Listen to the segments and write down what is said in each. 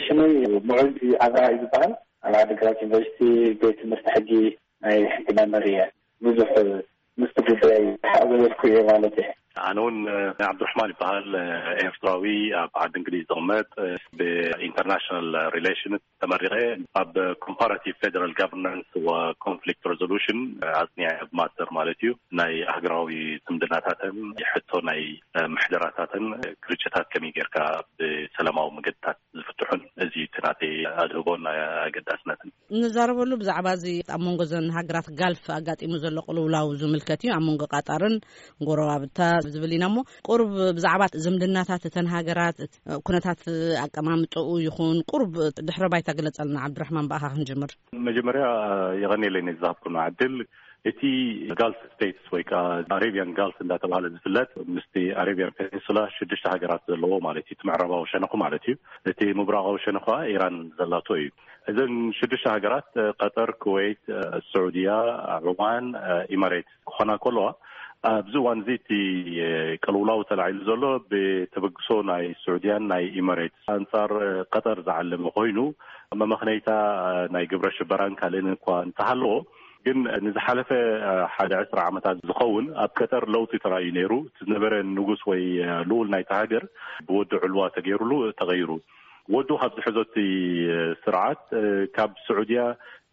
ስመይ ሙዑዝ ኣብርሃ እዩ ዝበሃል። ኣብ ዓዲግራት ዩኒቨርሲቲ ቤት ትምህርቲ ሕጊ ናይ ሕጊ መምህር እየ። ብዙሕ ምስቲ ጉዳይ ሓዘበልኩ እየ ማለት እየ። ኣነ እውን፣ እ፣ ዓብዱራሕማን ይበሃል። እ፣ ኤርትራዊ፣ ኣብ ዓዲ እንግሊዝ ዝቕመጥ፣ እ፣ ብኢንተርናሽናል ሪሌሽንስ ተመሪቐ፣ ኣብ ኮምፓራቲቭ ፌደራል ጋቨርናንስ ወኮንፍሊክት ሬዞሉሽን፣ እ፣ ኣጽኒዐ፣ ኣብ ማስተር ማለት እዩ። ናይ ኣህጉራዊ ዝምድናታትን ሕቶ ናይ፣ እ፣ ምሕደራታትን፣ እ፣ ግርጭታት ከመይ ጌርካ ብሰላማዊ መገድታት ዝፍትሑን፣ እዚ እቲ ናተይ ኣድህቦን ኣገዳስነትን። ንዛረበሉ ብዛዕባ እዚ ኣብ መንጎ ዘን ሃገራት ጋልፍ ኣጋጢሙ ዘሎ ቅልውላው ዝምልከት እዩ። ኣብ መንጎ ቃጣርን ጎረባብታ ዝብል ኢና እሞ፣ ቁሩብ ብዛዕባ ዝምድናታት እተን ሃገራት፣ ኩነታት ኣቀማምጥኡ ይኹን፣ ቁሩብ ድሕረ ባይታ ግለጸልና። ዓብዱራሕማን፣ ብኣኻ ክንጅምር። መጀመርያ የቐንየለይ ነዚ ዝሃብኩና ዕድል። እቲ ጋልፍ ስቴትስ ወይ ከዓ ኣሬቢያን ጋልፍ እንዳተባሃለ ዝፍለጥ፣ ምስቲ ኣሬቢያን ፔኒንሱላ ሽዱሽተ ሃገራት ዘለዎ ማለት እዩ፣ እቲ ምዕራባዊ ሸነኹ ማለት እዩ። እቲ ምብራቓዊ ሸነኹ ከዓ ኢራን ዘላቶ እዩ። እዘን ሽዱሽተ ሃገራት፣ እ፣ ቀጠር፣ ኩዌት፣ እ፣ ስዑድያ፣ ዑማን፣ እ፣ ኢማሬት ክኾና ከለዋ፣ ኣብዚ እዋን እዚ እቲ፣ እ፣ ቅልውላው ተላዒሉ ዘሎ ብተበግሶ ናይ ስዑድያን ናይ ኢማሬት ኣንጻር፣ እ፣ ቀጠር ዝዓለመ ኮይኑ፣ መመኽነይታ፣ እ፣ ናይ ግብረ ሽበራን ካልእን እኳ እንተሃለዎ፣ ግን ንዝሓለፈ፣ እ፣ ሓደ ዕስራ ዓመታት ዝኸውን ኣብ ቀጠር ለውጢ ተራእዩ ነይሩ። እቲ ዝነበረ ንጉስ ወይ፣ እ፣ ልኡል ናይቲ ሃገር ብወዲ ዕልዋ ተገይሩሉ ተቐይሩ። ወዱ ካብ ዝሕዞ እቲ ስርዓት፣ እ፣ ካብ ስዑድያ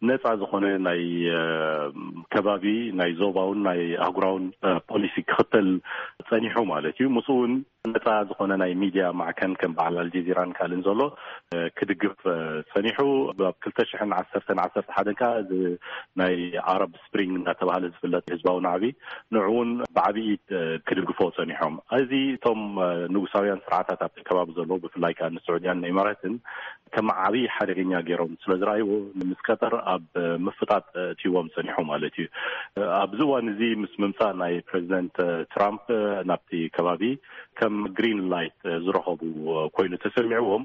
ነፃ ዝኾነ ናይ፣ እ፣ ከባቢ ናይ ዞባውን ናይ ኣህጉራውን፣ እ፣ ፖሊሲ ክኽተል ጸኒሑ ማለት እዩ። ምስኡ እውን ነፃ ዝኾነ ናይ ሚድያ ማዕከን ከም በዓል ኣልጀዚራን ካልእን ዘሎ፣ እ፣ ክድግፍ፣ እ፣ ጸኒሑ። ኣብ ክልተ ሽሕን ዓሰርተን ዓሰርተ ሓደን ከኣ እዚ ናይ ኣረብ ስፕሪንግ እናተባሃለ ዝፍለጥ ህዝባዊ ናዕቢ ንዕውን ብዓብዪ፣ እ፣ ክድግፎ ጸኒሖም። እዚ እቶም፣ እ፣ ንጉሳውያን ስርዓታት ኣብቲ ከባቢ ዘለዉ ብፍላይ ከኣ ንስዑድያን ንኢማራትን ከም ዓብዪ ሓደገኛ ገይሮም ስለ ዝረኣይዎ ምስ ቀጠር ኣብ ምፍጣጥ፣ እ፣ እትይዎም ጸኒሑ ማለት እዩ። እ፣ ኣብዚ እዋን እዚ ምስ ምምጻእ ናይ ፕሬዚደንት፣ እ፣ ትራምፕ፣ እ፣ ናብቲ ከባቢ ከም ግሪን ላይት፣ እ፣ ዝረኸቡ፣ እ፣ ኮይኑ ተሰሚዕዎም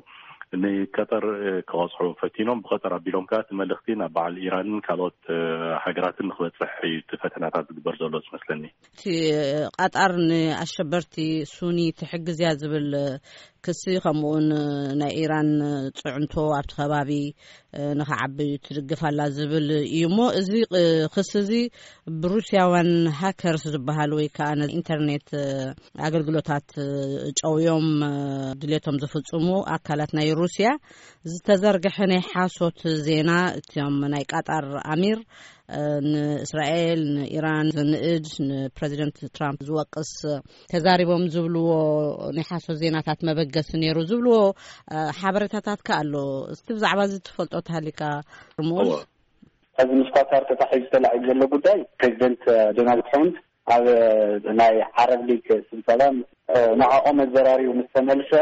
ንቀጠር፣ እ፣ ክቐጽዑ ፈቲኖም። ብቐጠር ኣቢሎም ከኣ እቲ መልእኽቲ ናብ በዓል ኢራንን ካልኦት፣ እ፣ ሃገራትን ንክበጽሕ እዩ እቲ ፈተናታት ዝግበር ዘሎ ዝመስለኒ። እቲ ቀጠር ንኣሸበርቲ ሱኒ ትሕግዝ እያ ዝብል ክሲ፣ ከምኡውን ናይ ኢራን ጽዕንቶ ኣብቲ ከባቢ ንኽዓቢ ትድግፍ ኣላ ዝብል እዩ እሞ፣ እዚ ክሲ እዚ ብሩስያውያን ሃከርስ ዝበሃል ወይ ከዓ ኢንተርኔት ኣገልግሎታት ጨውዮም ድሌቶም ዝፍጽሙ ኣካላት ናይ ሩስያ ዝተዘርግሐ ናይ ሓሶት ዜና፣ እቲኦም ናይ ቃጣር ኣሚር ንእስራኤል፣ ንኢራን ዝንእድ፣ ንፕረዚደንት ትራምፕ ዝወቅስ ተዛሪቦም ዝብልዎ ናይ ሓሶት ዜናታት መበገሲ ነይሩ ዝብልዎ፣ እ፣ ሓበሬታታት ከ ኣሎ። እስቲ ብዛዕባ እዚ ትፈልጦ ተሃሊካ፣ ርሙስ? እወ። እዚ ምስ ኳታር ተታሒዙ ተላዒሉ ዘሎ ጉዳይ፣ ፕሬዚደንት ዶናልድ ትራምፕ ኣብ ናይ ዓረብ ሊግ ስብሰባ፣ እ፣ ንዕኦም ኣዘራሪቡ ምስ ተመልሰ፣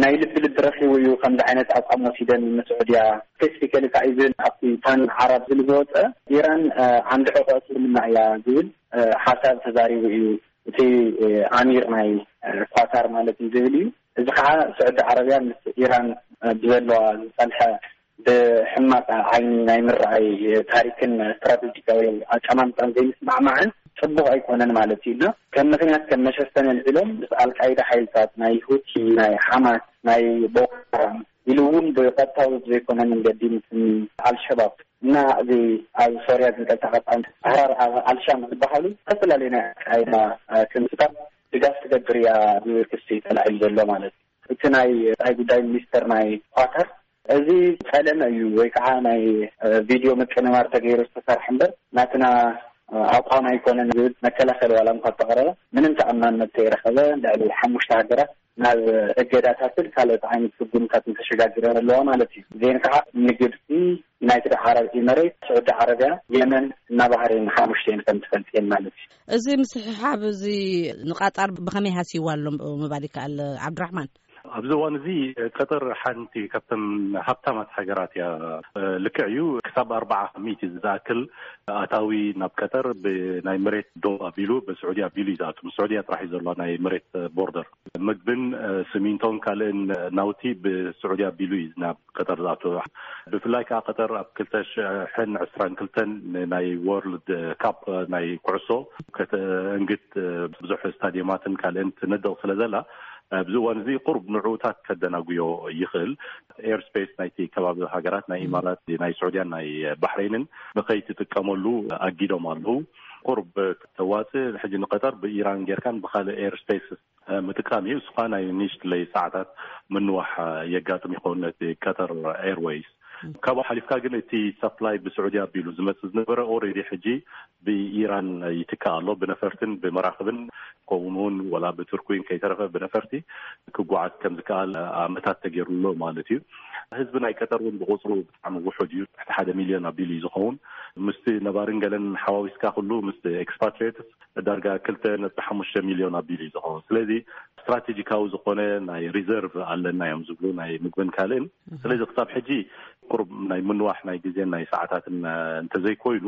ናይ ልቢ ልቢ ረኺቡ እዩ ከምዚ ዓይነት ኣቋም ወሲደን ንስዑድያ። ስፔሲፊካሊ ከዓ ኢቨን ኣብቲ ፓን ዓረብ ዝብል ዝወፀ፣ ኢራን፣ እ፣ ዓንዲ ሕቆ እስልምና እያ ዝብል፣ እ፣ ሓሳብ ተዛሪቡ እዩ እቲ፣ እ፣ ኣሚር ናይ፣ እ፣ ኳታር ማለት እዩ ዝብል እዩ። እዚ ከዓ ስዑዲ ዓረብያ ምስ ኢራን፣ እ፣ ብዘለዋ ዝፀንሐ ብሕማቕ ዓይኒ ናይ ምርኣይ ታሪክን ስትራቴጂካዊ ኣቀማምጣን ዘይምስማዕማዕን ጽቡቕ ኣይኮነን ማለት እዩ። እና ከም ምኽንያት ከም መሸፈኒ ኣልዒሎም ምስ ኣልቃይዳ ሓይልታት ናይ ሁቲ፣ ናይ ሓማስ፣ ናይ ቦኮ ሓራም ኢሉ እውን ብቐጥታዊ ብዘይኮነ መንገዲ ምስ ኣልሸባብ እና እዚ ኣብ ሶርያ ዝንቀሳቐስ ኣሕራር ኣልሻም ዝበሃሉ ዝተፈላለዩ ናይ ኣልቃይዳ ክንፍታት ድጋፍ ትገብር እያ ዝብል ክሲ ተላዒሉ ዘሎ ማለት እዩ። እቲ ናይ ወጻኢ ጉዳይ ሚኒስተር ናይ ኳታር እዚ ጸለመ እዩ ወይ ከዓ ናይ፣ እ፣ ቪድዮ ምቅንባር ተገይሩ ዝተሰርሐ እምበር ናትና፣ እ፣ ኣቋም ኣይኮነን ዝብል መከላኸሊ ዋላ እንኳ ተቕረበ ምንም ተኣማንነት ከይረኸበ ልዕሊ ሓሙሽተ ሃገራት ናብ እገዳታትን ካልኦት ዓይነት ስጉምታትን ተሸጋጊረን ኣለዋ ማለት እዩ። እዚአን ከዓ ንግብፂ፣ ዩናይትድ ዓረብ ኢመሬት፣ ስዑዲ ዓረብያ፣ የመን እና ባህሬን ሓሙሽተን ከም ትፈልጥየን ማለት እዩ። እዚ ምስሕሓብ እዚ ንቃጣር ብኸመይ ሃስይዋ ኣሎ ምባል ይከኣል? ዓብድራሕማን። ኣብዚ እዋን እዚ ቀጠር ሓንቲ ካብተን ሃብታማት ሃገራት እያ። ልክዕ እዩ፣ ክሳብ ኣርባዓ ሚእቲ ዝኣክል ኣታዊ ናብ ቀጠር ብናይ መሬት ዶብ ኣቢሉ፣ ብስዑዲ ኣቢሉ እዩ ዝኣቱ። ምስ ስዑድያ ጥራሕ እዩ ዘሎ ናይ መሬት ቦርደር። ምግብን፣ ስሚንቶን ካልእን ናውቲ ብስዑዲ ኣቢሉ እዩ ናብ ቀጠር ዝኣቱ። ብፍላይ ከዓ ቀጠር ኣብ ክልተ ሽሕን ዕስራን ክልተን ናይ ወርልድ ካፕ ናይ ኩዕሶ ከተእንግድ ብዙሕ ስታዲየማትን ካልእን ትነድቕ ስለ ዘላ፣ ኣብዚ እዋን እዚ ቁሩብ ንዕኡታት ከደናጉዮ ይኽእል። ኤርስፔስ ናይቲ ከባቢ ሃገራት ናይ ኢማራት፣ ናይ ስዑድያን ናይ ባሕሬንን ንኸይትጥቀመሉ ኣጊዶም ኣለዉ። ቁሩብ ተዋፅእ ሕጂ ንቀጠር ብኢራን ጌርካን ብኻልእ ኤርስፔስ ምጥቃም እዩ። እሱ ኸዓ ናይ ንእሽትለይ ሰዓታት ምንዋሕ የጋጥም ይኸውን ነቲ ቀጠር ኤርወይስ። ካብኡ ሓሊፍካ ግን እቲ ሰፕላይ ብስዑዲ ኣቢሉ ዝመጽእ ዝነበረ ኦልሬዲ ሕጂ ብኢራን ይትካእ ኣሎ። ብነፈርትን ብመራኽብን ከምኡ እውን ወላ ብቱርኪን ከይተረፈ ብነፈርቲ ክጓዓዝ ከም ዝከኣል ኣመታት ተገይሩሎ ማለት እዩ። ህዝቢ ናይ ቀጠር እውን ብቁፅሩ ብጣዕሚ ውሑድ እዩ። ትሕቲ ሓደ ሚልዮን ኣቢሉ እዩ ዝኸውን። ምስቲ ነባርን ገለን ሓዋዊስካ ኩሉ ምስቲ ኤክስፓትሪየትስ ዳርጋ ክልተ ነጥቢ ሓሙሽተ ሚልዮን ኣቢሉ እዩ ዝኸውን። ስለዚ ስትራቴጂካዊ ዝኾነ ናይ ሪዘርቭ ኣለና እዮም ዝብሉ ናይ ምግብን ካልእን። ስለዚ ክሳብ ሕጂ ቁሩብ ናይ ምንዋሕ ናይ ግዜን ናይ ሰዓታትን እንተዘይኮይኑ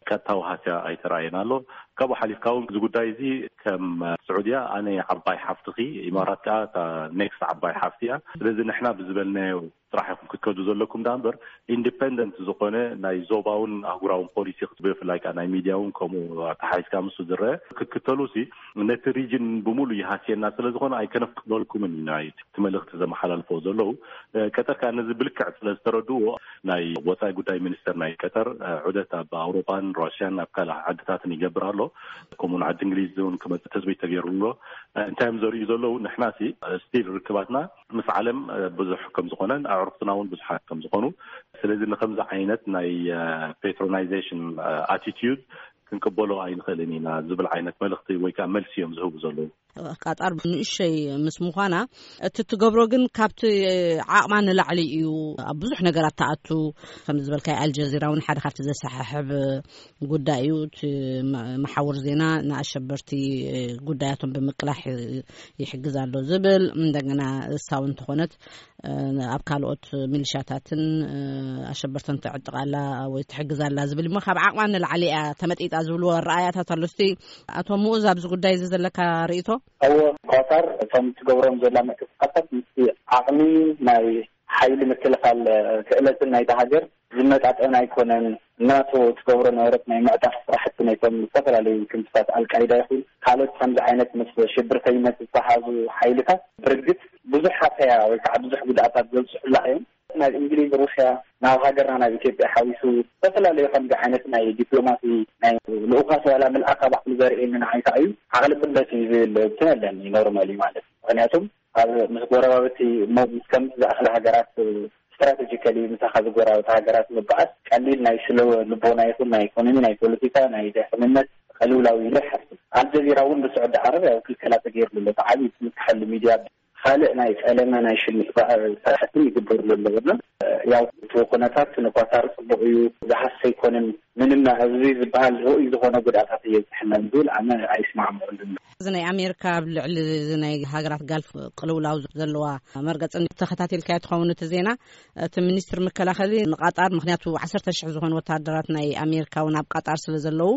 ቀጥታዊ ሃስያ ኣይተራእየን ኣሎ። ካብኡ ሓሊፍካ እውን እዚ ጉዳይ እዚ ከም ስዑድያ ኣነ ዓባይ ሓፍትኺ፣ ኢማራት ከዓ እታ ኔክስት ዓባይ ሓፍቲ እያ። ስለዚ ንሕና ብዝበልናዮ ጥራሕ ኢኹም ክትከዱ ዘለኩም ዳ እምበር ኢንዲፐንደንት ዝኾነ ናይ ዞባውን ኣህጉራውን ፖሊሲ ብፍላይ ከዓ ናይ ሚድያውን ከምኡ ኣተሓሒዝካ ምስ ዝረአ ክትክተሉ ሲ ነቲ ሪጅን ብሙሉ ይሃስየና ስለ ዝኾነ ኣይከነፍቅደልኩምን ኢና እቲ መልእኽቲ ዘመሓላልፎ ዘለዉ። ቀጠር ከዓ ነዚ ብልክዕ ስለ ዝተረድዎ ናይ ወፃኢ ጉዳይ ሚኒስተር ናይ ቀጠር ዑደት ኣብ ኣውሮፓን ራሽያን ኣብ ካልእ ዓድታትን ይገብር ኣሎ። ከምኡውን ዓዲ እንግሊዝ እውን ክመፅእ ትፅቢት ተገይሩ ኣሎ። እንታይ እዮም ዘርእዩ ዘለዉ? ንሕና ሲ ስቲል ርክባትና ምስ ዓለም ብዙሕ ከም ዝኾነን ኣዕሩኽትና እውን ብዙሓት ከም ዝኾኑ፣ ስለዚ ንከምዚ ዓይነት ናይ ፔትሮናይዜሽን ኣቲቲዩድ ክንቅበሎ ኣይንኽእልን ኢና ዝብል ዓይነት መልእኽቲ ወይ ከዓ መልሲ እዮም ዝህቡ ዘለዉ። ቃጣር ንእሸይ ምስ ምዃና እቲ ትገብሮ ግን ካብቲ ዓቕማ ንላዕሊ እዩ። ኣብ ብዙሕ ነገራት ትኣቱ። ከም ዝበልካይ ኣልጀዚራ እውን ሓደ ካብቲ ዘሰሓሕብ ጉዳይ እዩ። እቲ መሓውር ዜና ንኣሸበርቲ ጉዳያቶም ብምቅላሕ ይሕግዝ ኣሎ ዝብል፣ እንደገና እሳ እውን እንተኾነት ኣብ ካልኦት ሚሊሻታትን ኣሸበርተን ትዕጥቕ ኣላ ወይ ትሕግዝ ኣላ ዝብል እሞ ካብ ዓቕማ ንላዕሊ እያ ተመጢጣ ዝብሉ ኣረኣያታት ኣሎ። እስቲ ኣቶ ምኡዝ ኣብዚ ጉዳይ እዚ ዘለካ ርእይቶ? እዎ፣ ኳታር እቶም ትገብሮም ዘላ ምንቅስቃሳት ምስቲ ዓቕሚ ናይ ሓይሊ ምክልኻል ክእለትን ናይታ ሃገር ዝመጣጠን ኣይኮነን። ናቶ ትገብሮ ነበረት ናይ ምዕጣፍ ስራሕቲ ነቶም ዝተፈላለዩ ክንፍታት ኣልቃይዳ ይኹን ካልኦት ከምዚ ዓይነት ምስ ሽብርተኝነት ዝተሓዙ ሓይልታት ብርግጽ ብዙሕ ሃሰያ ወይ ከዓ ብዙሕ ጉድኣታት ዘብፅሑላ እዮም። ናብ እንግሊዝ፣ ሩስያ፣ ናብ ሃገርና ናብ ኢትዮጵያ ሓዊሱ ዝተፈላለዩ ከምዚ ዓይነት ናይ ዲፕሎማሲ ናይ ልኡኻት ዋላ ምልኣኻ ባዕሉ ዘርእየኒ ንዓይ ከዓ እዩ ዓቕሊ ጥበት እዩ ዝብል እንትን ኣለኒ ኖርማሊ ማለት እዩ። ምክንያቱም ኣብ ምስ ጎረባብቲ እሞ ምስ ከምዚ ዝኣኽለ ሃገራት ስትራቴጂካሊ ምሳኻ ዝጎረባብቲ ሃገራት ምበኣስ ቀሊል ናይ ስለ ልቦና ይኹን ናይ ኢኮኖሚ ናይ ፖለቲካ ናይ ድሕንነት ቅልውላው ኢሉ ይሓስብ። ኣልጀዚራ እውን ብስዑዲ ዓረብ ያው ክልከላ ተገይርሉ ኣሎ። እቲ ዓብዪ ትምክሐሉ ሚድያ ካልእ ናይ ጸለመ ናይ ሽምዕ ስራሕትን ይግበርሉ ኣሎ። ያው እቲ ኩነታት ንኳታር ጽቡቕ እዩ ዝሃስ ኣይኮነን። ምንም ኣብዚ ዝበሃል ርኡይ ዝኾነ ጉድኣታት እየብፅሐና ዝብል ኣነ ኣይስማዕምዕሉን። እዚ ናይ ኣሜሪካ ኣብ ልዕሊ እዚ ናይ ሃገራት ጋልፍ ቅልውላው ዘለዋ መርገፂ ተኸታቲልካዮ ትኸውን እቲ ዜና። እቲ ሚኒስትር መከላኸሊ ንቃጣር፣ ምክንያቱ ዓሰርተ ሽሕ ዝኾኑ ወታደራት ናይ ኣሜሪካ እውን ኣብ ቃጣር ስለ ዘለዉ፣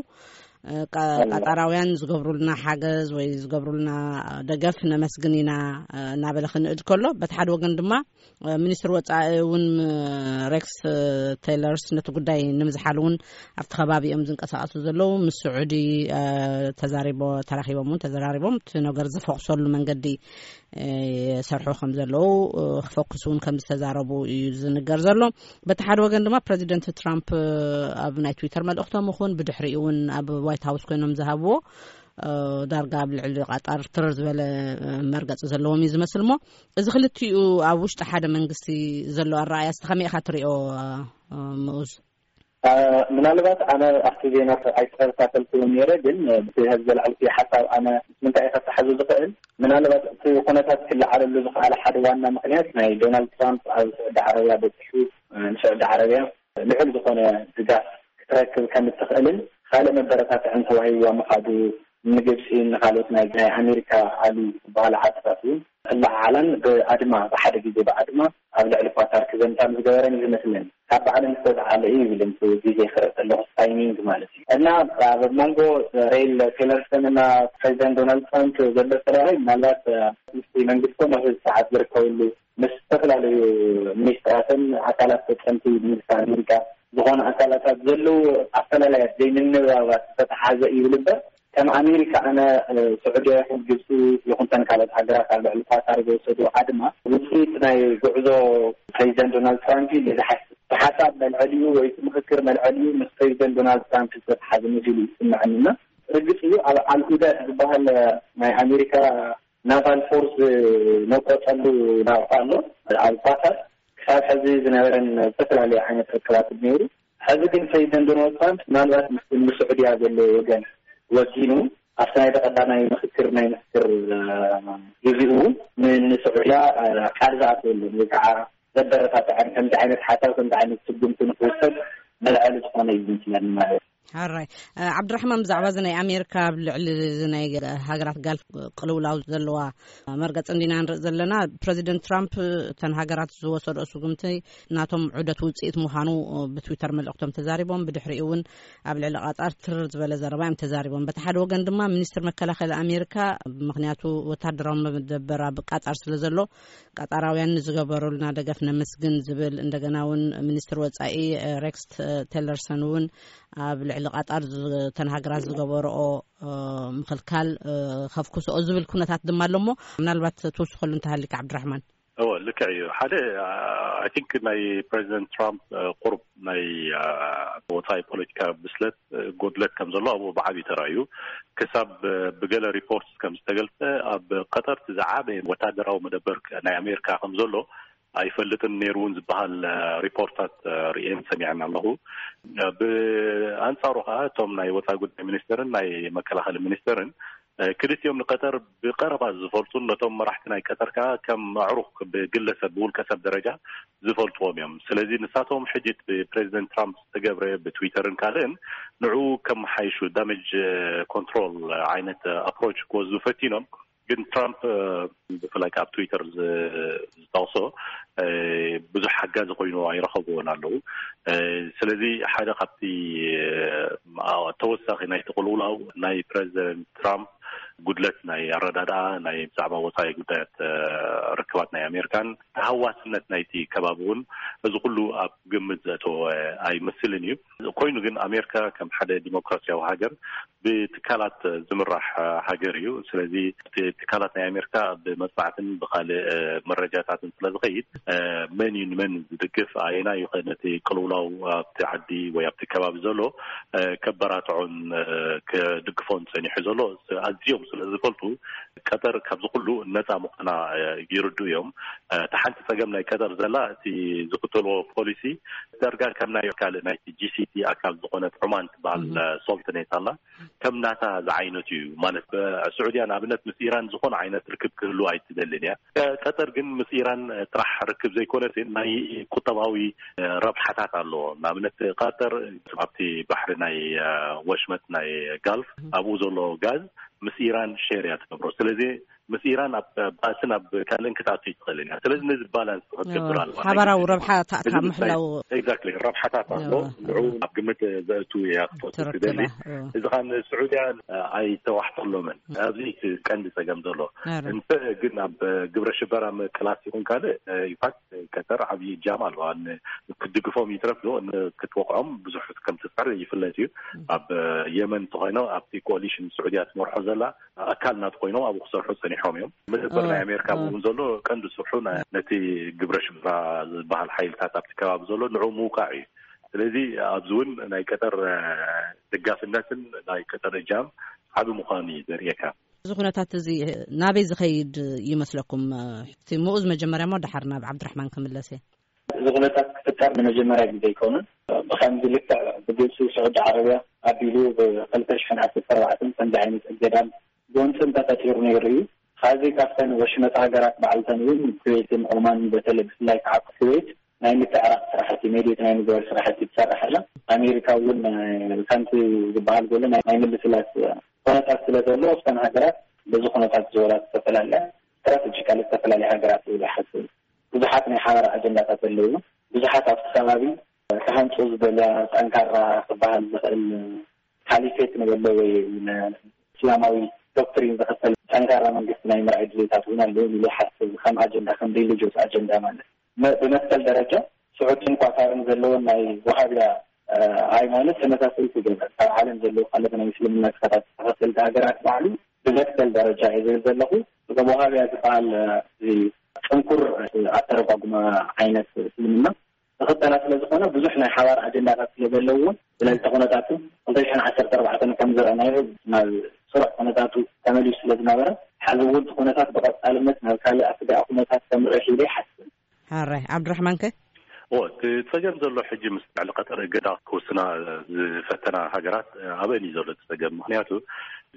እ፣ ቃ- ቃጣራውያን ዝገብሩልና ሓገዝ ወይ ዝገብሩልና ደገፍ ነመስግን ኢና፣ እ፣ እናበለ ክንእድ ከሎ፣ በቲ ሓደ ወገን ድማ ሚኒስትር ወፃኢ እውን ሬክስ ቴይለርስ ነቲ ጉዳይ ንምዝሓል እውን ኣብቲ ከባቢ እዮም ዝንቀሳቐሱ ዘለዉ። ምስ ስዑዲ ተዛሪቦ ተራኺቦም እውን ተዘራሪቦም እቲ ነገር ዝፈኩሰሉ መንገዲ ይሰርሑ ከም ዘለዉ፣ ክፈኩስ እውን ከም ዝተዛረቡ እዩ ዝንገር ዘሎ። በቲ ሓደ ወገን ድማ ፕረዚደንት ትራምፕ ኣብ ናይ ትዊተር መልእኽቶም ይኹን ብድሕሪኡ እውን ኣብ ዋይት ሃውስ ኮይኖም ዝሃብዎ ዳርጋ ኣብ ልዕሊ ቃጣር ትርር ዝበለ መርገፂ ዘለዎም እዩ ዝመስል። እሞ እዚ ክልቲኡ ኣብ ውሽጢ ሓደ መንግስቲ ዘሎ ኣረኣእያ እስቲ ከመይ ኢኻ ትሪኦ? ምኡዝ? ምናልባት ኣነ ኣብቲ ዜና ኣይተኸታተልኩን ነይረ፣ ግን እቲ ዘልዓልኩ ሓሳብ ኣነ ምስ ምንታይ ከተሓዙ ዝኽእል? ምናልባት እቲ ኩነታት ክለዓለሉ ዝኽኣለ ሓደ ዋና ምክንያት ናይ ዶናልድ ትራምፕ ኣብ ስዑዲ ዓረብያ በፂሑ ንስዑዲ ዓረብያ ልዑል ዝኾነ ድጋፍ ክትረክብ ከም እትኽእልን ካልእ መበረታትዕን ተዋሂብዋ ምኻዱ፣ ንግብፂ ንካልኦት ናይ ናይ ኣሜሪካ ዓሊ ዝበሃሉ ዓድታት እውን ክለዓዓላን ብኣድማ ብሓደ ግዜ ብኣድማ ኣብ ልዕሊ ኳታር ክዘምታ ዝገበረን እዩ ዝመስለኒ። ካብ ባዕለን ዝተልዓለ እዩ ይብል፣ እቲ ግዜ ክርኢ ከለኹ ታይሚንግ ማለት እዩ። እና ኣብ መንጎ ሬል ቴለርሰን እና ፕሬዚደንት ዶናልድ ትራምፕ ዘሎ ኣፈላላይ ምናልባት ምስ መንግስቶም ኣብ ሰዓት ዝርከብሉ ምስ ዝተፈላለዩ ሚኒስትራትን ኣካላት ፈፀምቲ መንግስቲ ኣሜሪካ ዝኾኑ ኣካላታት ዘለዉ ኣፈላላያት ዘይምንብባባት ዝተተሓዘ እዩ ይብል እምበር ከም ኣሜሪካ ኣነ፣ እ፣ ስዑድያ ይኹን ግብፂ ይኹን ተን ካልኦት ሃገራት ኣብ ልዕሊ ኳታር ዝወሰድኦ ድማ ውፅኢት ናይ ጉዕዞ ፕሬዚደንት ዶናልድ ትራምፕ እዩ ኢለ ዝሓስብ። ብሓሳብ መልዐሊኡ ወይ እቲ ምኽክር መልዐሊኡ ምስ ፕሬዚደንት ዶናልድ ትራምፕ ዝተተሓዘ መሲሉ ይስምዐኒ። እና ርግፅ እዩ ኣብ ኣልሁዳ ዝበሃል ናይ ኣሜሪካ ናቫል ፎርስ ዝነቆፀሉ ናቕፋ ኣሎ ኣብ ኳታር። ክሳብ ሕዚ ዝነበረን ዝተፈላለዩ ዓይነት ርክባት ነይሩ። ሕዚ ግን ፕሬዚደንት ዶናልድ ትራምፕ ምናልባት ምስ፣ ምስ ስዑድያ ዘለዎ ወገን ወጊኑ ኣብቲ ናይ ቀዳማይ ምኽክር ናይ ምኽክር፣ እ፣ ግዜኡ እውን ን-፣ ንስዑድያ፣ እ፣ ቃል ዝኣተወሉ ወይ ከዓ ዘበረታትዐን ከምዚ ዓይነት ሓሳብ ከምዚ ዓይነት ስጉምቲ ንክውሰድ መልዐሊ ዝኾነ እዩ ዝመስለኒ ማለት እዩ። ሓራይ። እ፣ ዓብድራሕማን፣ ብዛዕባ እዚ ናይ ኣሜሪካ ኣብ ልዕሊ እዚ ናይ ሃገራት ጋልፍ ቅልውላው ዘለዋ መርገጽ እንዲና ንርኢ ዘለና። ፕረዚደንት ትራምፕ እተን ሃገራት ዝወሰድኦ ስጉምቲ ናቶም ዑደት ውጽኢት ምዃኑ ብትዊተር መልእኽቶም ተዛሪቦም። ብድሕሪኡ እውን ኣብ ልዕሊ ቃጣር ትርር ዝበለ ዘረባ እዮም ተዛሪቦም። በቲ ሓደ ወገን ድማ ሚኒስትር መከላኸሊ ኣሜሪካ፣ ምኽንያቱ ወታደራዊ መደበር ኣብ ቃጣር ስለ ዘሎ፣ ቃጣራውያን ንዝገበሩልና ደገፍ ነመስግን ዝብል፣ እንደገና እውን ሚኒስትር ወጻኢ ሬክስ ቴለርሰን እውን ኣብ ልዕሊ ቃጣር ዝ-፣ እተን ሃገራት ዝገበረኦ፣ እ፣ ምኽልካል፣ እ፣ ከፍኩስኦ ዝብል ኩነታት ድማ ኣሎ። እሞ ምናልባት ትውስኸሉ እንተሃሊካ ዓብድራሕማን። እወ፣ ልክዕ እዩ። ሓደ፣ I think ናይ ፕሬዚደንት ትራምፕ፣ እ፣ ቁሩብ ናይ፣ እ፣ ወፃኢ ፖለቲካ ብስለት፣ እ፣ ጎድለት ከም ዘሎ ኣብኡ ብዓብዩ ተራእዩ። ክሳብ፣ እ፣ ብገለ ሪፖርት ከም ዝተገልጸ ኣብ ቀጠር እቲ ዝዓበየ ወታደራዊ መደበር ናይ ኣሜሪካ ከም ዘሎ ኣይፈልጥን ነይሩ እውን ዝበሃል፣ እ፣ ሪፖርታት፣ እ፣ ርእየን ሰሚዐን ኣለኹ። እ፣ ብኣንጻሩ ከዓ እቶም ናይ ወፃኢ ጉዳይ ሚኒስተርን ናይ መከላኸሊ ሚኒስተርን፣ እ፣ ክልቲኦም ንቀጠር ብቀረባ ዝፈልጡን ነቶም መራሕቲ ናይ ቀጠር ከዓ ከም ኣዕሩኽ ብግለሰብ ብውልቀ ሰብ ደረጃ ዝፈልጥዎም እዮም። ስለዚ ንሳቶም ሕጂ እቲ ብፕሬዚደንት ትራምፕ ዝተገብረ ብትዊተርን ካልእን ንዕኡ ከመሓይሹ ዳሜጅ ኮንትሮል ዓይነት ኣፕሮች ክወስዱ ፈቲኖም። ግን ትራምፕ፣ እ፣ ብፍላይ ኣብ ትዊተር ዝ-፣ ዝጠቕሶ፣ እ፣ ብዙሕ ሓጋዚ ኮይኑ ኣይረኸብዎን ኣለዉ። እ፣ ስለዚ ሓደ ካብቲ፣ እ፣ ተወሳኺ ናይቲ ቅልውላው ናይ ፕረዚደንት ትራምፕ ጉድለት ናይ ኣረዳድኣ ናይ ብዛዕባ ወፃኢ ጉዳያት፣ እ፣ ርክባት ናይ ኣሜሪካን ተሃዋስነት ናይቲ ከባቢ እውን እዚ ኩሉ ኣብ ግምት ዘእተወ ኣይመስልን እዩ። ኮይኑ ግን ኣሜሪካ ከም ሓደ ዲሞክራሲያዊ ሃገር ብትካላት ዝምራሕ ሃገር እዩ። ስለዚ እቲ ትካላት ናይ ኣሜሪካ ብመጽናዕትን ብካልእ፣ እ፣ መረጃታትን ስለ ዝኸይድ፣ እ፣ መን እዩ ንመን ዝድግፍ፣ ኣየናይ እዩ ከ ነቲ ቅልውላው ኣብቲ ዓዲ ወይ ኣብቲ ከባቢ ዘሎ፣ እ፣ ከበራትዖን፣ እ፣ ክድግፎን ጸኒሑ ዘሎ ኣዝዮም ስለ ዝፈልጡ ቀጠር ካብዚ ኩሉ ነጻ ምዃና፣ እ፣ ይርዱ እዮም። እ፣ እቲ ሓንቲ ጸገም ናይ ቀጠር ዘላ እቲ ዝኽተልዎ ፖሊሲ ዳርጋ ከም ናይ ካልእ ናይቲ ጂ ሲ ሲ ኣካል ዝኾነት ዑማን ትበሃል፣ እህ። እ፣ ሶልትኔት ኣላ። ከም ናታ ዝዓይነቱ እዩ ማለት። እ፣ ስዑድያ ንኣብነት ምስ ኢራን ዝኾነ ዓይነት ርክብ ክህሉ ኣይትደልን እያ። እ፣ ቀጠር ግን ምስ ኢራን፣ እ፣ ጥራሕ ርክብ ዘይኮነስ ናይ ቁጠባዊ፣ እ፣ ረብሓታት ኣለዎ። ንኣብነት ቀጠር ኣብቲ ባሕሪ ናይ፣ እ፣ ወሽመጥ ናይ ጋልፍ ኣብኡ ዘሎ ጋዝ ምስ ኢራን ሼር እያ ትገብሮ። ስለዚ ምስ ኢራን ኣብ ባእስን ኣብ ካልእን ክትኣቱ ይትኽእልን እያ። ስለዚ ነዚ ባላንስ ክትገብር ኣለዋ። ሓባራዊ ረብሓ ታእካ ምሕላው። ኤግዛክትሊ፣ ረብሓታት ኣሎ። እዎ። ንዑ ኣብ ግምት ዘእቱ እያ ክትወስድ ትደሊ። እዎ። እዚ ኻን ስዑድያ ኣይተዋሕጠሎምን። ኣብዚ እቲ ቀንዲ ጸገም ዘሎ። እንተ ግን ኣብ ግብረ ሽበራ ምቅላስ ይኹን ካልእ፣ ኢንፋክት ቀጠር ዓብዪ እጃም ኣለዋ። ን-፣ ክትድግፎም ይትረፍ ዶ ን-፣ ክትወቕዖም ብዙሕ ከም ትጽዕር ይፍለጥ እዩ። ኣብ የመን እንተኾይኖ ኣብቲ ኮሊሽን ስዑድያ ትመርሖ ዘላ ኣካል ናት ኮይኖም ኣብኡ ክሰርሑ ጸኒሖም እዮም። መደበር ናይ ኣሜሪካ እውን ዘሎ ቀንዲ ስርሑ ነ-፣ ነቲ ግብረ ሽበራ ዝበሃል ሓይልታት ኣብቲ ከባቢ ዘሎ ንዑ ምውቃዕ እዩ። ስለዚ ኣብዚ እውን ናይ ቀጠር፣ እ፣ ደጋፍነትን ናይ ቀጠር እጃም ዓቢ ምዃኑ እዩ ዘርእየካ። እዚ ኩነታት እዚ ናበይ ዝኸይድ ይመስለኩም? እቲ ምኡዝ መጀመርያ እሞ ደሓር ናብ ዓብድራሕማን ክምለስ እየ። እዚ ኩነታት ክፍጠር ንመጀመርያ ግዜ ኣይኮነን። ብኸምዚ ልክዕ ብግብፂ፣ ስዑዲ ዓረብያ ኣቢሉ ብክልተ ሽሕን ዓሰርተ ኣርባዕተን ከምዚ ዓይነት እገዳን ጎንፅን ተፈጢሩ ነይሩ እዩ። ካብዚ ካብተን ወሽመጥ ሃገራት ባዕልተን እውን ኩዌትን ኦማን፣ በተለይ ብፍላይ ከዓ ኩዌት ናይ ምትዕራቕ ስራሕቲ፣ ሜዲት ናይ ምግባር ስራሕቲ ትሰርሕ ኣላ። ኣሜሪካ እውን፣ እ፣ ከምቲ ዝበሃል ዘሎ ናይ፣ ናይ ምልስላስ ኩነታት ስለ ዘሎ ኣብተን ሃገራት በዚ ኩነታት ዝበላ ዝተፈላለያ ስትራቴጂካሊ ዝተፈላለያ ሃገራት ይብል ይሓስብ። ብዙሓት ናይ ሓባር ኣጀንዳታት ኣለዉ። ብዙሓት ኣብቲ ከባቢ ክሃንጹ ዝደልያ ጠንካራ ክበሃል ዝኽእል ካሊፌት ንበሎ ወይ ን-፣ እስላማዊ ዶክትሪን ዝኽተል ጠንካራ መንግስቲ ናይ ምርኣይ ድሌታት እውን ኣለዉ ኢሉ ይሓስብ፣ ከም ኣጀንዳ፣ ከም ሪሊጅስ ኣጀንዳ ማለት። መ-፣ ብመሰል ደረጃ ስዑድን ኳታርን ዘለወን ናይ ወሃብያ ሃይማኖት ተመሳሰልቲ ገበር ካብ ዓለም ዘለዉ ካልኦት ናይ ምስልምና ክሳታት ተኸተልቲ ሃገራት ባዕሉ ብመትከል ደረጃ እየ ዝብል ዘለኹ። እቶም ወሃብያ ዝበሃል ጥንኩር ኣተረጓጉማ ዓይነት እስልምና ተኸተላ ስለ ዝኾነ ብዙሕ ናይ ሓባር ኣጀንዳታት ስለ ዘለዎም ስለዚ ኩነታቱ ክልተ ሽሕን ዓሰርተ ኣርባዕተን ከም ዝረኣናዮ ናብ ስሩዕ ኩነታቱ ተመሊሱ ስለ ዝነበረ ሕዚ እውን እቲ ኩነታት ብቐፃልነት ናብ ካልእ ኣስጋኢ ኩነታት ከምርእ ኢለ ይሓስብ። ሃራይ ዓብድራሕማንከ? እቲ ጸገም ዘሎ ሕጂ ምስ ልዕሊ ቀጠር እገዳ ክውስና ዝፈተና ሃገራት ኣበን እዩ ዘሎ እቲ ጸገም። ምክንያቱ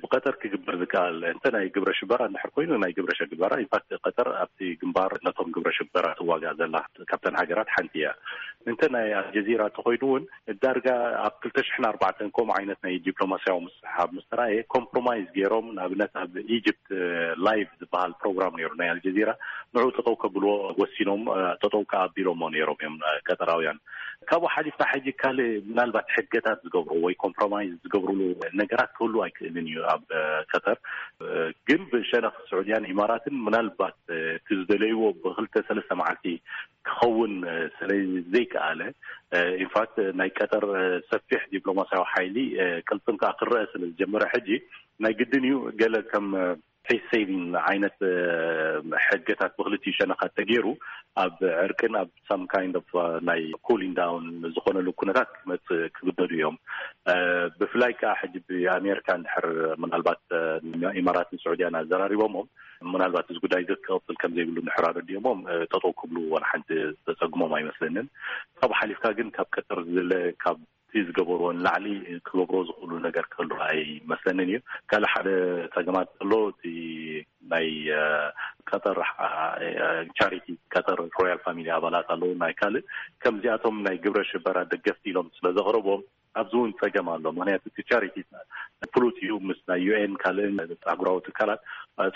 ብቀጠር ክግበር ዝከኣል እንተ ናይ ግብረ ሽበራ እንድሕር ኮይኑ ናይ ግብረ ሽበራ ኢንፋክት ቀጠር ኣብቲ ግንባር ነቶም ግብረ ሽበራ ትዋጋእ ዘላ ካብተን ሃገራት ሓንቲ እያ። እንተ ናይ ኣልጀዚራ እንተኮይኑ እውን ዳርጋ ኣብ ክልተ ሽሕን ኣርባዕተን ከምኡ ዓይነት ናይ ዲፕሎማሲያዊ ምስሕሓብ ምስ ተራእየ ኮምፕሮማይዝ ገይሮም ንኣብነት ኣብ ኢጅፕት ላይቭ ዝበሃል ፕሮግራም ነይሩ ናይ ኣልጀዚራ ንዑ ጠጠው ከብልዎ ወሲኖም ጠጠው ከኣቢሎሞ ነይሮም እዮም ቀጠራውያን። ካብኡ ሓሊፍና ሕጂ ካልእ ምናልባት ሕገታት ዝገብሩ ወይ ኮምፕሮማይዝ ዝገብሩሉ ነገራት ክህሉ ኣይክእልን እዩ ኣብ ቀጠር። ግን ብሸነኽ ስዑድያን ኢማራትን ምናልባት እቲ ዝደለይዎ ብክልተ ሰለስተ መዓልቲ ክኸውን ስለ ዘይከኣለ ኢንፋክት ናይ ቀጠር ሰፊሕ ዲፕሎማሲያዊ ሓይሊ ቅልጥም ከዓ ክረአ ስለ ዝጀመረ ሕጂ ናይ ግድን እዩ ገለ ከም ፌስ ሴቪንግ ዓይነት ሕገታት ብክልቲኡ ሸነኻት ተገይሩ ኣብ ዕርቅን ኣብ ሳም ካይንድ ኦፍ ናይ ኩሊንግ ዳውን ዝኾነሉ ኩነታት ክመፅእ ክግደዱ እዮም። ብፍላይ ከዓ ሕጂ ብኣሜሪካ እንድሕር ምናልባት ኢማራትን ስዑድያን ኣዘራሪቦሞም ምናልባት እዚ ጉዳይ እዚ ክቕፅል ከም ዘይብሉ እንድሕር ኣረዲኦሞም ጠጠው ክብሉ ዋላ ሓንቲ ዘፀግሞም ኣይመስለንን። ካብኡ ሓሊፍካ ግን ካብ ቀጠር ዝለ ካብ እቲ ዝገበርዎ ንላዕሊ ክገብርዎ ዝኽእሉ ነገር ክህሉ ኣይመስለንን እዩ። ካልእ ሓደ ፀገማት ዘሎ እቲ ናይ ቀጠር ቻሪቲ ቀጠር ሮያል ፋሚሊ ኣባላት ኣለዉ ናይ ካልእ ከምዚኣቶም ናይ ግብረ ሽበራ ደገፍቲ ኢሎም ስለ ዘቕረቦም ኣብዚ እውን ፀገም ኣሎ። ምክንያቱ እቲ ቻሪቲ ፍሉት እዩ ምስ ናይ ዩ ኤን ካልእን ኣህጉራዊ ትካላት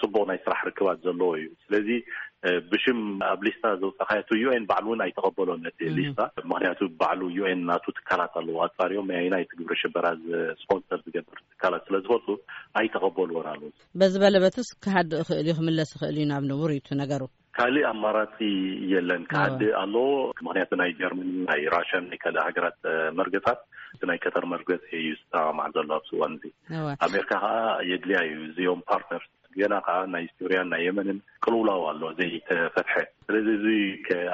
ፅቡቕ ናይ ስራሕ ርክባት ዘለዎ እዩ። ስለዚ ብሽም ኣብ ሊስታ ዘውፃእካዮ እቲ ዩ ኤን ባዕሉ እውን ኣይተቐበሎን ነቲ ሊስታ። ምክንያቱ ባዕሉ ዩ ኤን ናቱ ትካላት ኣለዎ ኣፃሪዮም ኣየናይ እቲ ግብረ ሽበራ ስፖንሰር ዝገብር ትካላት ስለ ዝፈልጡ ኣይተቐበልዎን ኣለዉ። በዚ በለበትስ ክሃድእ ይኽእል እዩ ክምለስ ይኽእል እዩ ናብ ንቡር እዩ እቲ ነገሩ። ካልእ ኣማራፂ የለን። ክሃድእ ኣለዎ። ምክንያቱ ናይ ጀርመን ናይ ራሽያን ናይ ካልእ ሃገራት መርገፃት እቲ ናይ ቀጠር መርገፂ እዩ ዝሰማማዕ ዘሎ ኣብዚ እዋን እዚ። ኣሜሪካ ከዓ የድልያ እዩ እዚኦም ፓርትነርስ ገና ከዓ ናይ ሱርያን ናይ የመንን ቅልውላው ኣሎ ዘይተፈትሐ። ስለዚ እዚ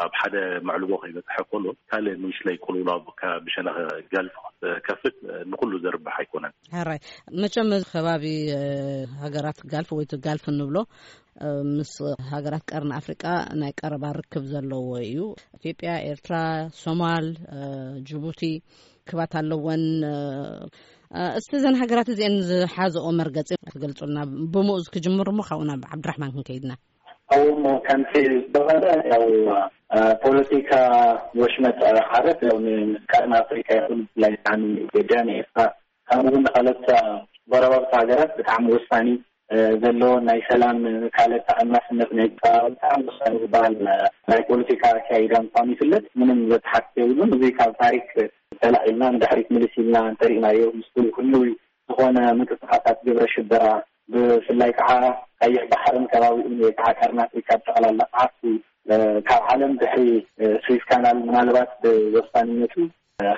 ኣብ ሓደ መዕልቦ ከይበፅሐ ከሎ ካልእ ንእሽለይ ቅልውላው ብሸነኽ ገልፍ ከፍት ንኩሉ ዘርብሕ ኣይኮነን። ሕራይ መቸም ከባቢ ሃገራት ጋልፍ ወይ ጋልፍ እንብሎ ምስ ሃገራት ቀርኒ ኣፍሪቃ ናይ ቀረባ ርክብ ዘለዎ እዩ። ኢትዮጵያ፣ ኤርትራ፣ ሶማል፣ ጅቡቲ ክባት ኣለወን። እስቲ እዘን ሃገራት እዚአን ዝሓዘኦ መርገፂ ክገልፁልና ብሙኡዝ ክጅምር እሞ ካብኡ ናብ ዓብድራሕማን ክንከይድና። እሞ ከምቲ ዝበለ ያው ፖለቲካ ወሽመጥ ዓረብ ያው ንቀርኒ ኣፍሪካ ይኹን ብፍላይ ከዓ ንኢትዮጵያ ንኤርትራ ከምኡ እውን ንካልኦት ጎረባብቲ ሃገራት ብጣዕሚ ወሳኒ ዘለዎን ናይ ሰላም ካልእ ተኣማስነት ናይ ብጣዕሚ ወሳኒ ዝበሃል ናይ ፖለቲካ ኣካይዳ ምኳኑ ይፍለጥ። ምንም ዘተሓትት የብሉን። እዚ ካብ ታሪክ ተላዒልና ንድሕሪት ምልስ ኢልና እንተሪእናዮ ምስ ኩሉ ዝኾነ ምንቅስቃሳት ግብረ ሽበራ ብፍላይ ከዓ ቀይሕ ባሕርን ከባቢኡን ወይ ከዓ ቀርኒ ኣፍሪካ ብጠቕላላ ዓርሱ ካብ ዓለም ድሕሪ ስዊስ ካናል ምናልባት ብወሳንነቱ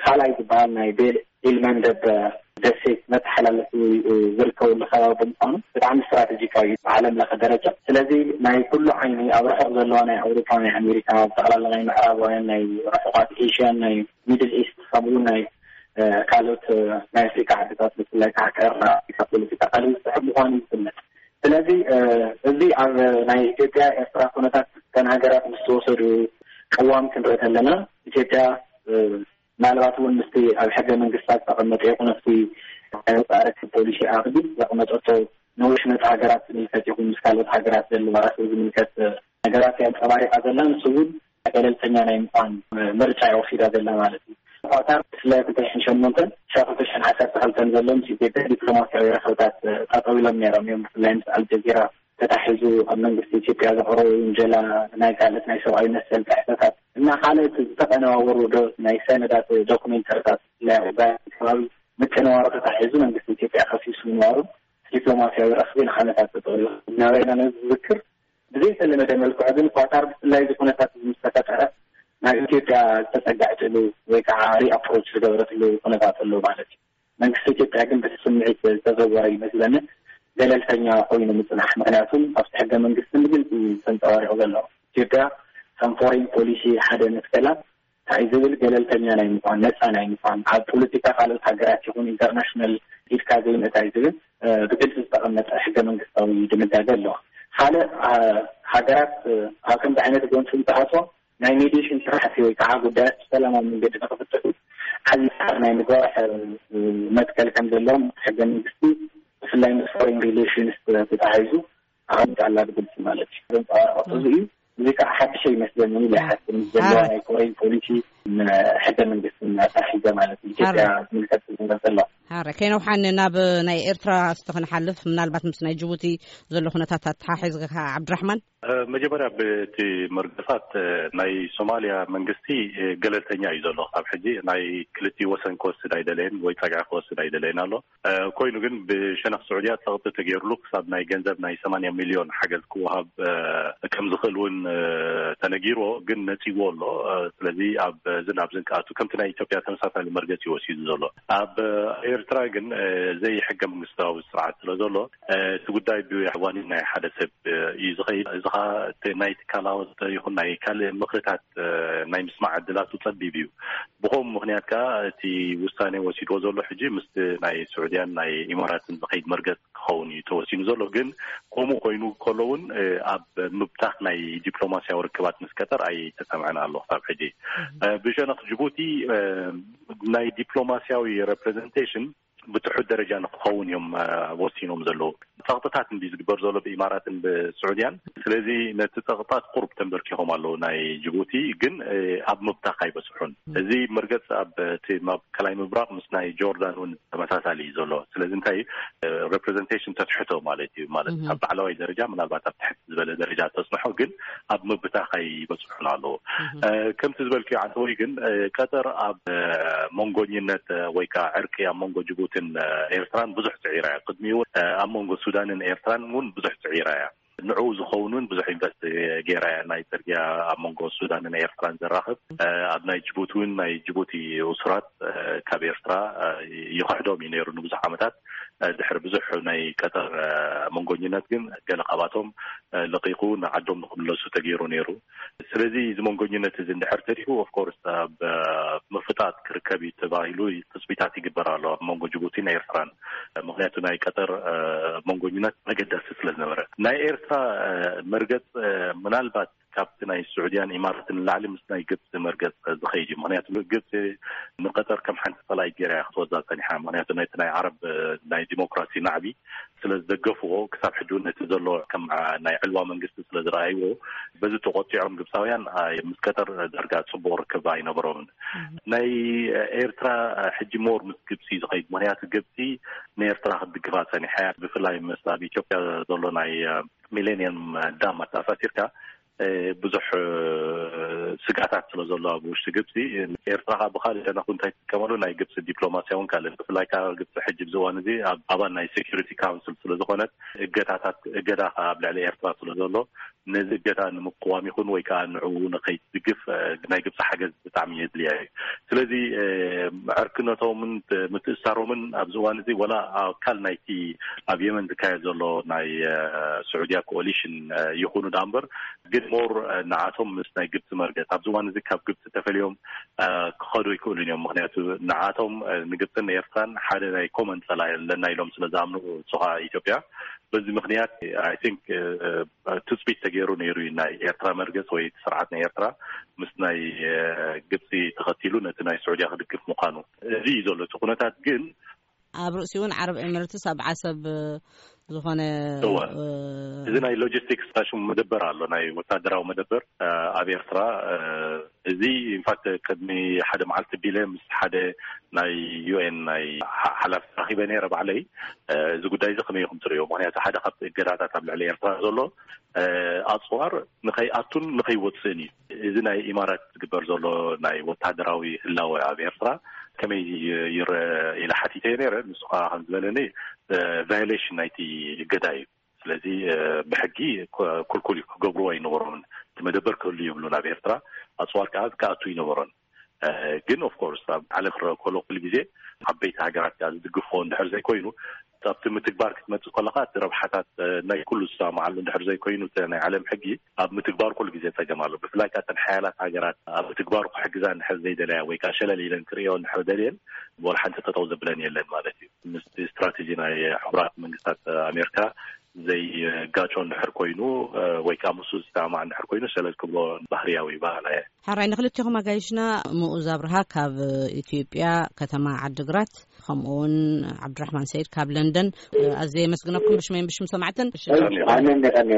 ካልኣይ ዝበሃል ናይ ቤል ኢልመንደብ ደሴት መተሓላለፊ ዝርከበሉ ከባቢ ብምኳኑ ብጣዕሚ ስትራቴጂካዊ እዩ ብዓለም ለኸ ደረጃ። ስለዚ ናይ ኩሉ ዓይኒ ኣብ ርሑቕ ዘለዋ ናይ ኣውሮፓ ናይ ኣሜሪካ ብጠቕላላ ናይ ምዕራባውያን ናይ ርሑቓት ኤሽያን ናይ ሚድል ኢስት ከምኡ ናይ ካልኦት ናይ ኣፍሪካ ዓድታት ብፍላይ ከዓ ቀርኒ ኣፍሪካ ፖለቲካ ካልእ ዝስሕብ ምኳኑ ይፍለጥ። ስለዚ እዚ ኣብ ናይ ኢትዮጵያ ኤርትራ ኩነታት እተን ሃገራት ምስ ተወሰዱ ቅዋም ክንርኢ ከለና ኢትዮጵያ ምናልባት እውን ምስቲ ኣብ ሕገ መንግስታ ዝተቐመጠ ይኹን ኣብቲ ናይ ወፃኢ ርክብ ፖሊሲ ኣቅዲም ዘቐመጠቶ ንውሽ መፅ ሃገራት ዝምልከት ይኹን ምስ ካልኦት ሃገራት ዘለዋ ራስብ ዝምልከት ነገራት የንፀባሪቃ ዘላ ንሱ እውን ገለልተኛ ናይ ምኳን ምርጫ እያ ወሲዳ ዘላ ማለት እዩ። ኳታር ብፍላይ ክልተ ሽሕን ሸሞንተን ክሳብ ክልተ ሽሕን ዓሰርተ ክልተን ዘሎ ምስ ኢትዮጵያ ዲፕሎማሲያዊ ረኽብታት ጠጠው ኢሎም ነይሮም እዮም። ብፍላይ ምስ ኣልጀዚራ ተታሒዙ ኣብ መንግስቲ ኢትዮጵያ ዘቕረቡ ውንጀላ ናይ ካልኦት ናይ ሰብኣዊ መሰል ጥሕሰታት እና ካልኦት ዝተቐነባበሩ ናይ ሰነዳት ዶክሜንተሪታት ብፍላይ ኣብ ከባቢ ምቅንባሩ ተታሒዙ መንግስቲ ኢትዮጵያ ከሲሱ ምንባሩ ዲፕሎማሲያዊ ረኽቢ ንዓመታት ጠጠው ኢሉ ዝነበረ ኢና ነዚ ዝዝክር። ብዘይተለመደ መልክዑ ግን ኳታር ብፍላይ እዚ ኩነታት እዚ ምስ ተፈጠረ ናብ ኢትዮጵያ ዝተጸጋዕትሉ ወይ ከዓ ሪኣፕሮች ዝገበረትሉ ኩነታት ኣሎ ማለት እዩ። መንግስቲ ኢትዮጵያ ግን በቲ ስምዒት ዝተዘወረ ይመስለኒ ገለልተኛ ኮይኑ ምጽናሕ። ምክንያቱም ኣብቲ ሕገ መንግስቲ ብግልፂ ተንፀባሪቑ ዘሎ ኢትዮጵያ ከም ፎሬን ፖሊሲ ሓደ መትከላ እንታይ ዝብል ገለልተኛ ናይ ምኳን፣ ነፃ ናይ ምኳን፣ ኣብ ፖለቲካ ካልኦት ሃገራት ይኹን ኢንተርናሽናል ኢድካ ዘይምእታይ ዝብል ብግልፂ ዝተቐመጠ ሕገ መንግስታዊ ድንጋገ ኣለዋ። ካልእ ሃገራት ኣብ ከምዚ ዓይነት ጎንፂ እንትኣትዎ ናይ ሜዲሽን ስራሕቲ ወይ ከዓ ጉዳያት ብሰላማዊ መንገዲ ንክፍትሑ ዓብዪ ፃዕሪ ናይ ምግባር መትከል ከም ዘለዎም ሕገ መንግስቲ ብፍላይ ምስ ፎሬን ሪሌሽንስ ተታሒዙ ኣቐሚጣ ኣላ ብግልፂ ማለት እዩ። ዘንፀባርቐቶ እዚ እዩ። እዚ ከዓ ሓድሽ ይመስለኒ ኢለ ይሓስብ ምስ ዘለዋ ናይ ፎሬን ፖሊሲ ሕገ መንግስቲ ኣታሒዘ ማለት እዩ። ኢትዮጵያ ዝምልከት ዝምልከት ዘሎ ሓረ ከይነውሓን ናብ ናይ ኤርትራ እስቲ ክንሓልፍ ምናልባት ምስ ናይ ጅቡቲ ዘሎ ኩነታት ኣተሓሒዝካ ዓብድራሕማን። መጀመርያ ብቲ መርገጻት ናይ ሶማልያ መንግስቲ ገለልተኛ እዩ ዘሎ። ካብ ሕጂ ናይ ክልቲኡ ወሰን ክወስድ ኣይደለየን ወይ ጸግዒ ክወስድ ኣይደለየን ኣሎ። ኮይኑ ግን ብሸነኽ ስዑድያ ጸቕጢ ተገይሩሉ ክሳብ ናይ ገንዘብ ናይ ሰማንያ ሚልዮን ሓገዝ ክወሃብ ከም ዝኽእል እውን ተነጊርዎ፣ ግን ነጺዎ ኣሎ። ስለዚ ኣብ ዝን ኣብ ዝንቀኣቱ ከምቲ ናይ ኢትዮጵያ ተመሳሳሊ መርገጺ ወሲዱ ዘሎ። ኣብ ኤርትራ ግን ዘይሕገ መንግስታዊ ስርዓት ስለ ዘሎ እቲ ጉዳይ ብዋኒን ናይ ሓደ ሰብ እዩ ዝኸይድ። እዚ ኸዓ እቲ ናይ ትካላዊ ይኹን ናይ ካልእ ምኽርታት ናይ ምስማዕ ዕድላቱ ጸቢብ እዩ። ብኸምኡ ምኽንያት ከኣ እቲ ውሳኔ ወሲድዎ ዘሎ ሕጂ ምስቲ ናይ ስዑድያን ናይ ኢማራትን ዝኸይድ መርገጽ ክኸውን እዩ ተወሲኑ ዘሎ። ግን ከምኡ ኮይኑ ከሎ እውን ኣብ ምብታኽ ናይ ዲፕሎማሲያዊ ርክባት ምስ ቀጠር ኣይተሰምዐን ኣሎ ክሳብ ሕጂ። ብሸነኽ ጅቡቲ ናይ ዲፕሎማሲያዊ ሬፕሬዘንቴሽን ብትሑት ደረጃ ንክኸውን እዮም ወሲኖም ዘለዉ። ጸቕጥታት እንዲ ዝግበር ዘሎ ብኢማራትን ብስዑድያን። ስለዚ ነቲ ጸቕጥታት ቁሩብ ተንበርኪኾም ኣለዉ ናይ ጅቡቲ። ግን ኣብ ምብታኽ ኣይበጽሑን። እዚ መርገጽ ኣብ እቲ ማእከላይ ምብራቕ ምስ ናይ ጆርዳን እውን ተመሳሳሊ እዩ ዘሎ። ስለዚ እንታይ ሬፕሬዘንቴሽን ተትሕቶ ማለት እዩ። ማለት ኣብ ላዕለዋይ ደረጃ ምናልባት ኣብ ትሕቲ ዝበለ ደረጃ ተጽንሖ፣ ግን ኣብ ምብታኽ ኣይበጽሑን ኣለዉ። ከምቲ ዝበልክዮ ዓንተወይ ግን ቀጠር ኣብ መንጎኝነት ወይ ከዓ ዕርቂ ኣብ መንጎ ጅቡትን ኤርትራን ብዙሕ ጽዒራ እያ። ቅድሚኡ እውን ኣብ መንጎ ሱዳንን ኤርትራን እውን ብዙሕ ጽዒራ እያ። ንዕኡ ዝኸውን እውን ብዙሕ ኢንቨስት ገይራ እያ። ናይ ጽርግያ ኣብ መንጎ ሱዳንን ኤርትራን ዘራኽብ፣ ኣብ ናይ ጅቡቲ እውን ናይ ጅቡቲ እሱራት ካብ ኤርትራ ይኽሕዶም እዩ ነይሩ ንብዙሕ ዓመታት። ድሕሪ ብዙሕ ናይ ቀጠር መንጎኝነት ግን ገለ ካብኣቶም ለቂቑ ንዓዶም ንክምለሱ ተገይሩ ነይሩ። ስለዚ እዚ መንጎኝነት እዚ እንድሕር ተሪፉ ኦፍኮርስ ኣብ ምፍጣጥ ክርከብ እዩ ተባሂሉ ትፅቢታት ይግበር ኣሎ ኣብ መንጎ ጅቡቲን ኤርትራን። ምክንያቱ ናይ ቀጠር መንጎኝነት መገዳሲ ስለ ዝነበረ ናይ ኤርትራ መርገፅ ምናልባት ካብቲ ናይ ስዑድያን ኢማራትን ንላዕሊ ምስ ናይ ግብፂ መርገፅ ዝኸይድ እዩ። ምክንያቱ ግብፂ ንቀጠር ከም ሓንቲ ፀላኢ ገይራ እያ ክትወዛ ፀኒሓ። ምክንያቱ ነቲ ናይ ዓረብ ናይ ዲሞክራሲ ናዕቢ ስለ ዝደገፍዎ ክሳብ ሕጂ እውን ነቲ ዘሎ ከም ናይ ዕልዋ መንግስቲ ስለ ዝረኣይዎ በዚ ተቆጢዖም ግብፃውያን ምስ ቀጠር ዳርጋ ፅቡቅ ርክብ ኣይነበሮምን። ናይ ኤርትራ ሕጂ ሞር ምስ ግብፂ ዝኸይድ ምክንያቱ ግብፂ ንኤርትራ ክትድግፋ ፀኒሓ እያ። ብፍላይ ምስ ኣብ ኢትዮጵያ ዘሎ ናይ ሚሌኒየም ዳም ኣተኣሳሲርካ ብዙሕ ስጋታት ስለ ዘሎ ኣብ ውሽጢ ግብፂ ኤርትራ ከዓ ብካልእ ሸነኹ እንታይ ትጥቀመሉ ናይ ግብፂ ዲፕሎማሲያውን ካልእ ብፍላይ ከዓ ግብፂ ሕጂ ብዝዋን እዚ ኣብ ኣባል ናይ ሴኪሪቲ ካውንስል ስለ ዝኾነት እገዳታት እገዳ ከዓ ኣብ ልዕሊ ኤርትራ ስለ ዘሎ ነዚ እገዳ ንምቅዋም ይኹን ወይ ከዓ ንዕኡ ንኸይትድግፍ ናይ ግብፂ ሓገዝ ብጣዕሚ የድልያ እዩ። ስለዚ ዕርክነቶምን ምትእሳሮምን ኣብዚ እዋን እዚ ወላ ኣካል ናይቲ ኣብ የመን ዝካየድ ዘሎ ናይ ስዑድያ ኮኦሊሽን ይኹኑ ዳ እምበር ግን ሞር ንዓቶም ምስ ናይ ግብፂ መርገፅ ኣብዚ እዋን እዚ ካብ ግብፂ ተፈልዮም ክኸዱ ኣይክእሉን እዮም። ምክንያቱ ንዓቶም ንግብፅን ኤርትራን ሓደ ናይ ኮመን ፀላኢ ኣለና ኢሎም ስለ ዝኣምኑ ንሱ ከዓ ኢትዮጵያ በዚ ምክንያት ኣይ ቲንክ ትፅቢት ተገይሩ ነይሩ እዩ ናይ ኤርትራ መርገፅ ወይ ስርዓት ናይ ኤርትራ ምስ ናይ ግብፂ ተኸቲሉ ነቲ ናይ ስዑድያ ክድግፍ ምዃኑ። እዚ እዩ ዘሎ እቲ ኩነታት ግን ኣብ ርእሲኡ እውን ዓረብ ኤምሬትስ ኣብ ዓሰብ ዝኾነ እወ። እዚ ናይ ሎጂስቲክስ ታሽሙ መደበር ኣሎ ናይ ወታደራዊ መደበር ኣብ ኤርትራ። እዚ ኢንፋክት ቅድሚ ሓደ መዓልቲ ቢለ ምስ ሓደ ናይ ዩ ኤን ናይ ሓላፊ ተራኺበ ነይረ ባዕለይ። እዚ ጉዳይ እዚ ከመይ ኢኹም ትርእዮ? ምክንያቱ ሓደ ካብቲ እገዳታት ኣብ ልዕሊ ኤርትራ ዘሎ ኣፅዋር ንኸይኣቱን ንኸይወፅእን እዩ። እዚ ናይ ኢማራት ዝግበር ዘሎ ናይ ወታደራዊ ህላወ ኣብ ኤርትራ ከመይ ይረአ ኢለ ሓቲተዮ ነይረ። ንሱ ከዓ ከም ዝበለኒ ቫዮሌሽን ናይቲ እገዳ እዩ። ስለዚ ብሕጊ ክልኩል እዩ፣ ክገብርዎ ኣይነበሮምን። እቲ መደበር ክህሉ ይብሉ ናብ ኤርትራ ኣፅዋር ከዓ ክኣቱ ይነበሮን። ግን ኦፍኮርስ ኣብ ዓለም ክረአ ከሎ ኩሉ ግዜ ዓበይቲ ሃገራት ከዓ ዝድግፎ እንድሕር ዘይኮይኑ ኣብቲ ምትግባር ክትመፅእ ከለካ እቲ ረብሓታት ናይ ኩሉ ዝሰማማዓሉ እንድሕር ዘይኮይኑ እቲ ናይ ዓለም ሕጊ ኣብ ምትግባር ኩሉ ግዜ ፀገም ኣሎ። ብፍላይ ከዓ እተን ሓያላት ሃገራት ኣብ ምትግባሩ ክሕግዛ እንድሕር ዘይደለያ ወይ ከዓ ሸለል ኢለን ክርእዮ እንድሕር ደልየን ወላ ሓንቲ ጠጠው ዘብለን የለን ማለት እዩ። ምስ ስትራቴጂ ናይ ሕቡራት መንግስታት ኣሜሪካ ዘይጋጮ እንድሕር ኮይኑ ወይ ከዓ ምስኡ ዝሰማማዕ እንድሕር ኮይኑ ሸለል ክብሎ ባህርያዊ ባህላ እየ። ሓራይ ንክልቴኹም ኣጋይሽና ምኡዝ ኣብርሃ ካብ ኢትዮጵያ ከተማ ዓድግራት ከምኡውን ዓብድራሕማን ሰይድ ካብ ለንደን ኣዝየ የመስግነኩም ብሽመይን ብሽም ሰማዕትን። ኣነ እንደ ቀን